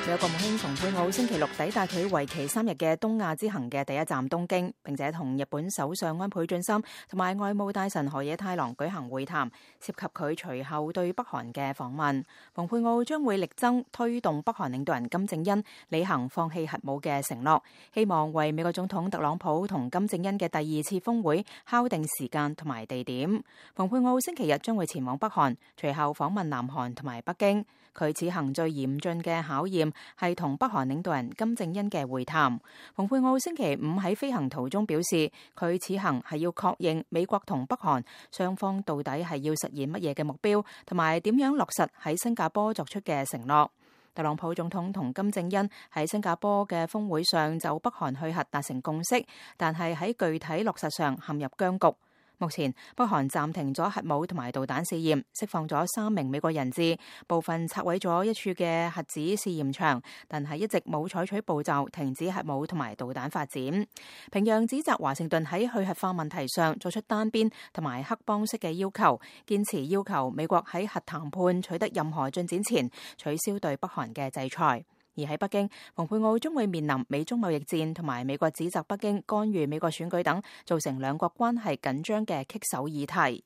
美國國務卿蓬佩奧星期六抵達佢為期3日嘅東亞之行嘅第一站東京，並且同日本首相安倍晉三同埋外務大臣河野太郎舉行會談，涉及佢隨後對北韓嘅訪問。蓬佩奧將會力爭推動北韓領導人金正恩履行放棄核武嘅承諾，希望為美國總統特朗普同金正恩嘅第2次峰會敲定時間同埋地點。蓬佩奧星期日將會前往北韓，隨後訪問南韓同埋北京。佢此行最嚴峻嘅考驗係同北韓領導人金正恩嘅會談。蓬佩奧星期5喺飛行途中表示，佢此行係要確認美國同北韓雙方到底係要實現乜嘢嘅目標，同埋點樣落實喺新加坡作出嘅承諾。特朗普總統同金正恩喺新加坡嘅峰會上就北韓去核達成共識，但係喺具體落實上陷入僵局。目前，北韓暫停咗核武同埋導彈試驗，釋放咗3名美國人質，部分拆毀咗一處嘅核子試驗場，但係一直冇採取步驟停止核武同埋導彈發展。平壤指責華盛頓喺去核化問題上作出單邊同埋黑幫式嘅要求，堅持要求美國喺核談判取得任何進展前取消對北韓嘅制裁。而喺北京，蓬佩奧將會面臨美中貿易戰同埋美國指責北京干預美國選舉等，造成兩國關係緊張嘅棘手議題。